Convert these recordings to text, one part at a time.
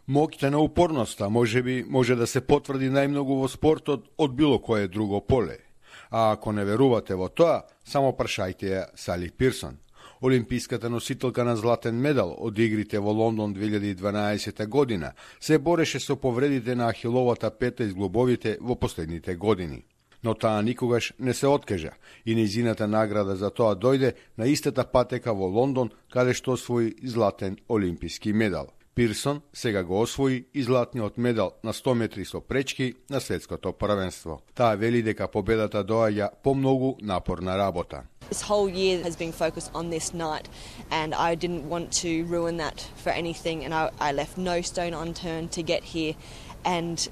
Моќта на упорноста може да се потврди најмногу во спортот од било кое друго поле. А ако не верувате во тоа, само прашајте ја Сали Пирсон. Олимписката носителка на златен медал од игрите во Лондон 2012 година се бореше со повредите на ахиловата пета и зглобовите во последните години. Но таа никогаш не се откажа и нејзината награда за тоа дојде на истата патека во Лондон, каде што освои златен олимписки медал. Пирсон сега го освои и златниот медал на 100 метри со пречки на светското првенство. Таа вели дека победата доаѓа по многу напорна работа. This whole year has been focused on this night, and I didn't want to ruin that for anything, and I left no stone unturned to get here, and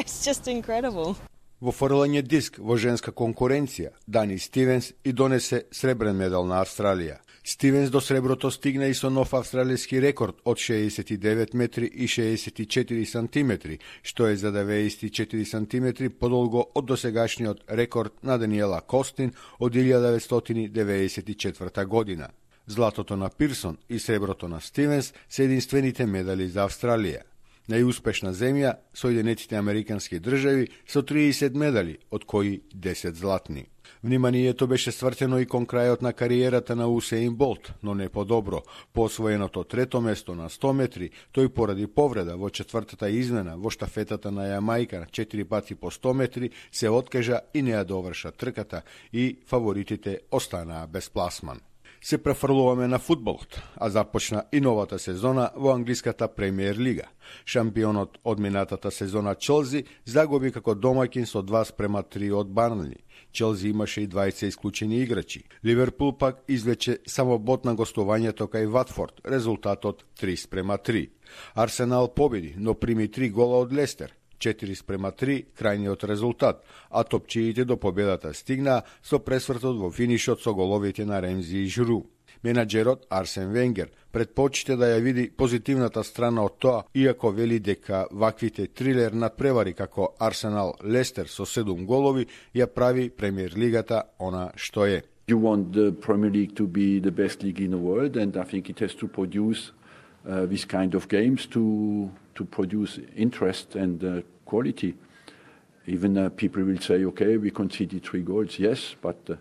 it's just incredible. Во фрлање диск во женска конкуренција, Дани Стивенс и донесе сребрен медал на Австралија. Стивенс до среброто стигна и со нов австралијски рекорд од 69 метри и 64 сантиметри, што е за 94 сантиметри подолго од досегашниот рекорд на Даниела Костин од 1994 година. Златото на Пирсон и среброто на Стивенс се единствените медали за Австралија. Најуспешна земја Соединетите Американски држави со 30 медали, од кои 10 златни. Вниманието беше свртено и кон крајот на кариерата на Усеин Болт, но не подобро. По освоеното трето место на 100 метри, тој поради повреда во четвртата измена во штафетата на Јамајка 4 пати по 100 метри се откажа и не ја доврша трката и фаворитите останаа без пласман. Се префрлуваме на фудбалот, а започна и новата сезона во англиската премиер лига. Шампионот од минатата сезона Челси загуби како домаќин со 2:3 од Барнли. Челси имаше и 20 исклучени играчи. Ливерпул пак извлече само бот на гостувањето кај Ватфорд, резултатот 3:3. Арсенал победи, но прими 3 гола од Лестер. 4:3 крајниот резултат, а топчиите до победата стигнаа со пресвртот во финишот со головите на Ремзи и Жру. Менаџерот Арсен Венгер предпочита да ја види позитивната страна од тоа, иако вели дека ваквите трилер надпревари како Арсенал Лестер со 7 голови ја прави премиер лигата она што е. You want the Premier League to be the best league in the world, and I think it has to produce this kind of games to produce interest and quality. Even people will say, okay, we conceded 3 goals, yes, but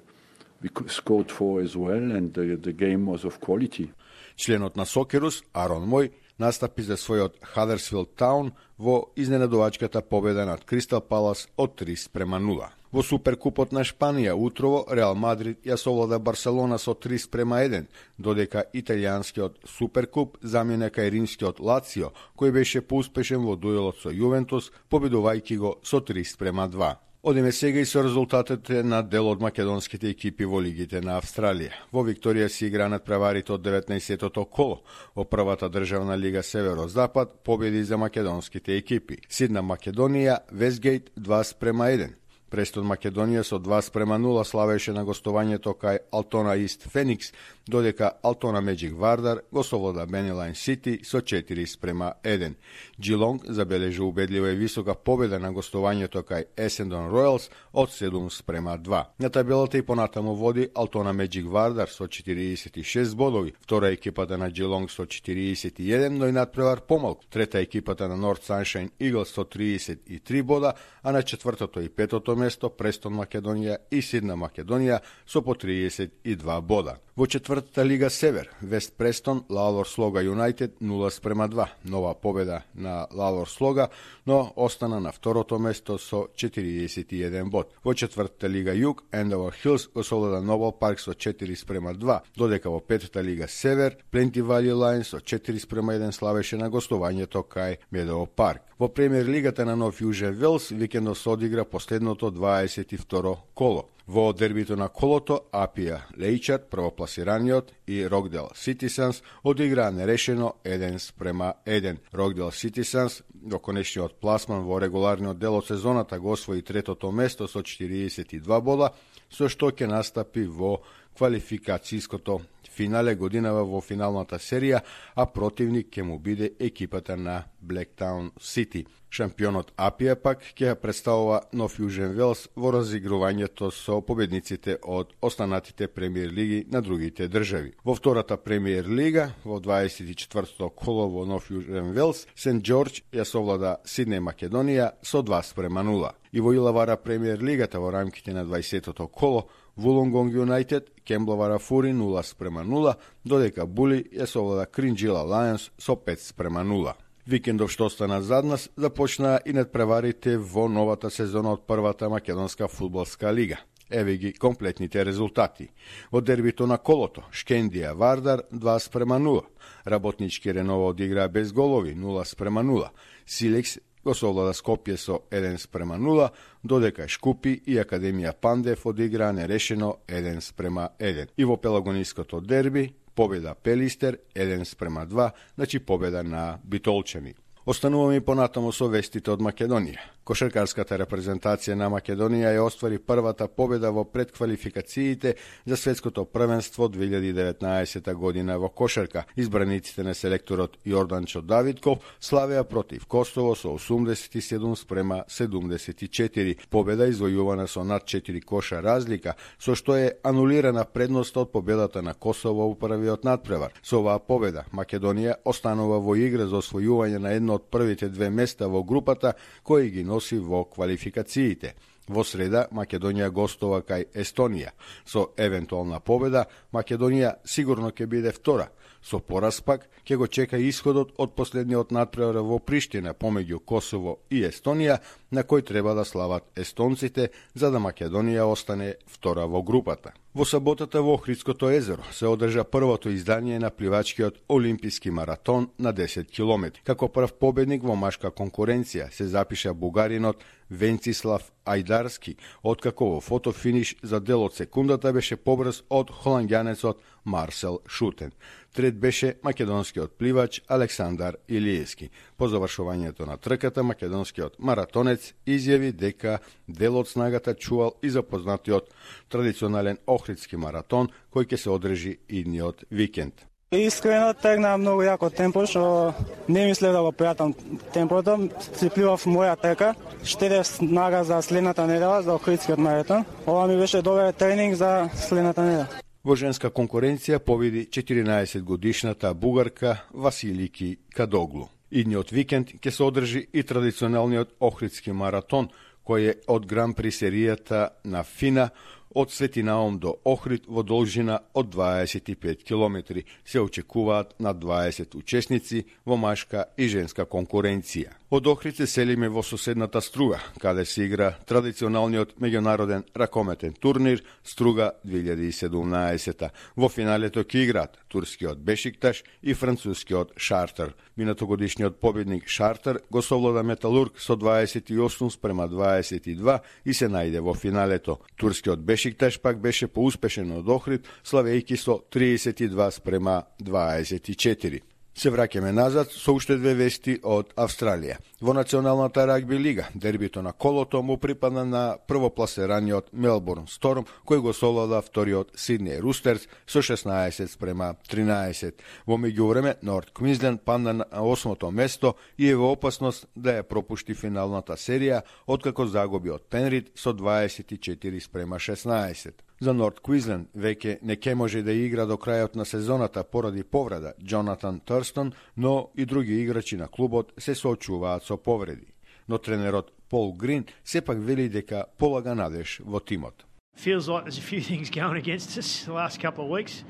we scored 4 as well, and the game was of quality. Членот на Сокерус, Арон Мој, настапи за својот Хадерсфилд Таун во изненадувачката победа над Кристал Палас од 3:0. Во Суперкупот на Шпанија утрово Реал Мадрид ја совлада Барселона со 3:1, додека италијанскиот Суперкуп замена кај римскиот Лацио, кој беше поуспешен во дуелот со Јувентус, победувајќи го со 3:2. Одиме сега и со резултатите на дел од македонските екипи во лигите на Австралија. Во Викторија си игра надпреварите од 19-тото коло. Во првата државна лига Северо-Запад победи за македонските екипи. Сидна Македонија, Вестгейт 2:1. Престон Македонија со 2:0 славеше на гостувањето кај Алтона Ист Феникс, додека Алтона Меджик Вардар го совлада Бенилайн Сити со 4:1. Джилонг забележи убедлива и висока победа на гостувањето кај Есендон Ројалс од 7:2. На табелата и понатаму води Алтона Меджик Вардар со 46 бодови, втора екипата на Джилонг со 41, но и надпревар помалку. Трета екипата на Норт Саншайн Иглс со 33 бода, а на четвртото и петото место Престон Македонија и Сидна Македонија со по 32 бода. Во четвртата лига Север, Вест Престон, Лалор Слога Юнајтед 0:2. Нова победа на Лалор Слога, но остана на второто место со 41 бод. Во четвртата лига Југ, Ендовер Хилс го совлада Нобел Парк со 4:2, додека во петата лига Север, Пленти Вали Лајн со 4:1 славеше на гостувањето кај Медово Парк. Во премиер лигата на Нов Јужен Велс викендов се одигра последното 22 коло. Во дербито на колото, Апија Лејчард, првопласираниот, и Рокдел Ситисанс одиграа нерешено 1:1. Рокдел Ситисанс до конечниот пласман во регуларниот дел од сезоната го освои третото место со 42 бода, со што ќе настапи во квалификацијското финале годинава во финалната серија, а противник ќе му биде екипата на Блектаун Сити. Шампионот Апија пак ќе представува нов Јужен Велс во разигрувањето со победниците од останатите премиер лиги на другите држави. Во втората премиер лига, во 24-то коло во нов Јужен Велс, Сент Џорџ ја совлада Сиднеј Македонија со 2:0. И во Илавара премиер лигата во рамките на 20-то коло, Вулонгонг Юнајтед кембловара Фури 0:0, додека Були ја совлада Кринџила Лајонс со 5:0. Викендов што остана зад нас започнаа и надпреварите во новата сезона од првата македонска фудбалска лига. Еве ги комплетните резултати. Во дербито на колото, Шкендија Вардар 2:0, Работнички Ренова одиграа без голови 0:0, Силекс го совлада Скопје со 1:0, додека Шкупи и Академија Пандев одиграа нерешено 1:1. И во пелагониското дерби победа Пелистер 1:2, значи победа на битолчани. Остануваме и понатаму со вестите од Македонија. Кошаркарската репрезентација на Македонија ја оствари првата победа во предквалификациите за светското првенство 2019 година во кошарка. Избраниците на селекторот Јорданчо Давидков славеа против Косово со 87:74. Победа извојувана со над 4 коша разлика, со што е анулирана предноста од победата на Косово во првиот надпревар. Со оваа победа Македонија останува во игра за освојување на едно од првите две места во групата кои ги носи во квалификациите. Во среда Македонија гостува кај Естонија. Со евентуална победа Македонија сигурно ќе биде втора. Со пораз пак ќе го чека исходот од последниот надпревар во Приштина помеѓу Косово и Естонија, на кој треба да слават естонците за да Македонија остане втора во групата. Во саботата во Охридското езеро се одржа првото издание на пливачкиот олимписки маратон на 10 километри. Како прв победник во машка конкуренција се запиша бугаринот Венцислав Ајдарски, откако во фотофиниш за дел од секундата беше побрз од холанѓанецот Марсел Шутен. Трет беше македонскиот пливач Александар Илиевски. По завршувањето на трката, македонскиот маратонец изјави дека дел од снагата чувал и запознатиот традиционален Охридски маратон кој ќе се одржи идниот викенд. Искрено тргна многу јако темпо, што не мислев да го пријатам темпото. Си пливав моја трка, штедев снага за следната недела, за Охридскиот маратон. Ова ми беше добар тренинг за следната недела. Во женска конкуренција победи 14 годишната бугарка Василики Кадоглу. Идниот викенд ќе се одржи и традиционалниот Охридски маратон, кој е од Гран При серијата на Фина од Свети Наум до Охрид во должина од 25 километри. Се очекуваат на 20 учесници во машка и женска конкуренција. Од Охрид се селиме во соседната Струга, каде се игра традиционалниот меѓународен ракометен турнир Струга 2017. Во финалето ќе играат турскиот Бешикташ и францускиот Шартер. Минатогодишниот победник Шартер го совлада Металург со 28:22 и се најде во финалето. Турскиот Бешикташ пак беше поуспешен од Охрид, славејќи со 32:24. Се враќаме назад со уште две вести од Австралија. Во Националната рагби лига, дербито на колото му припадна на првопласираниот Мелбурн Сторм, кој го совлада вториот Сиднеј Рустерс со 16:13. Во меѓувреме, Норт Квинсленд падна на 8-то место и е во опасност да ја пропушти финалната серија, откако загуби од Пенрид со 24:16. За Норт Квинсленд веќе не ќе може да игра до крајот на сезоната поради повреда Джонатан Турстон, но и други играчи на клубот се соочуваат со повреди. Но тренерот Пол Грин сепак вели дека полага надеж во тимот. Feels like there's a few things going against us the last couple of weeks,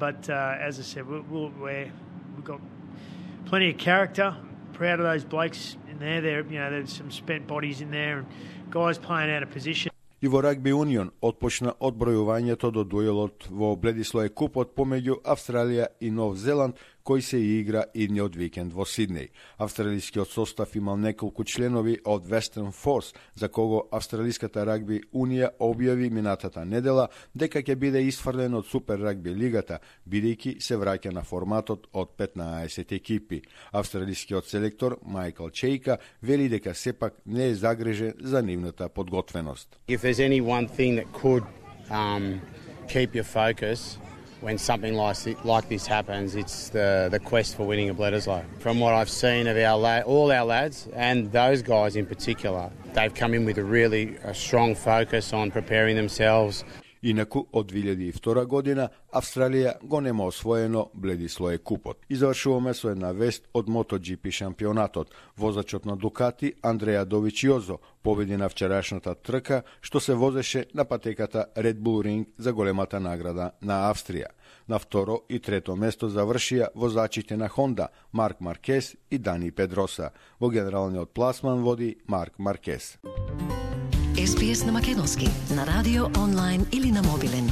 but as I said, we've got plenty of character. Proud of those blokes in there. There's some spent bodies in there and guys playing out of position. И во Рагби Унион отпочна одбројувањето до дуелот во Бледислој купот помеѓу Австралија и Нов Зеланд, кој се игра идниот викенд во Сиднеј. Австралискиот состав имал неколку членови од Western Force, за кого Австралиската рагби Унија објави минатата недела дека ќе биде исфрлен од Супер рагби лигата, бидејќи се враќа на форматот од 15 екипи. Австралискиот селектор Майкл Чейка вели дека сепак не е загрижен за нивната подготвеност. If there's any one thing that could keep your focus when something like this happens. It's the quest for winning a Bledisloe. From what I've seen of all our lads, and those guys in particular, they've come in with a strong focus on preparing themselves. Инаку, од 2002 година, Австралија го нема освоено Bledisloe купот. И завршуваме со една вест од MotoGP шампионатот. Возачот на Дукати, Андреа Довичиозо, победи на вчерашната трка, што се возеше на патеката Red Bull Ring за големата награда на Австрија. На второ и трето место завршија возачите на Honda, Марк Маркес и Дани Педроса. Во генералниот пласман води Марк Маркес. SBS на македонски, на радио, онлайн или на мобилен.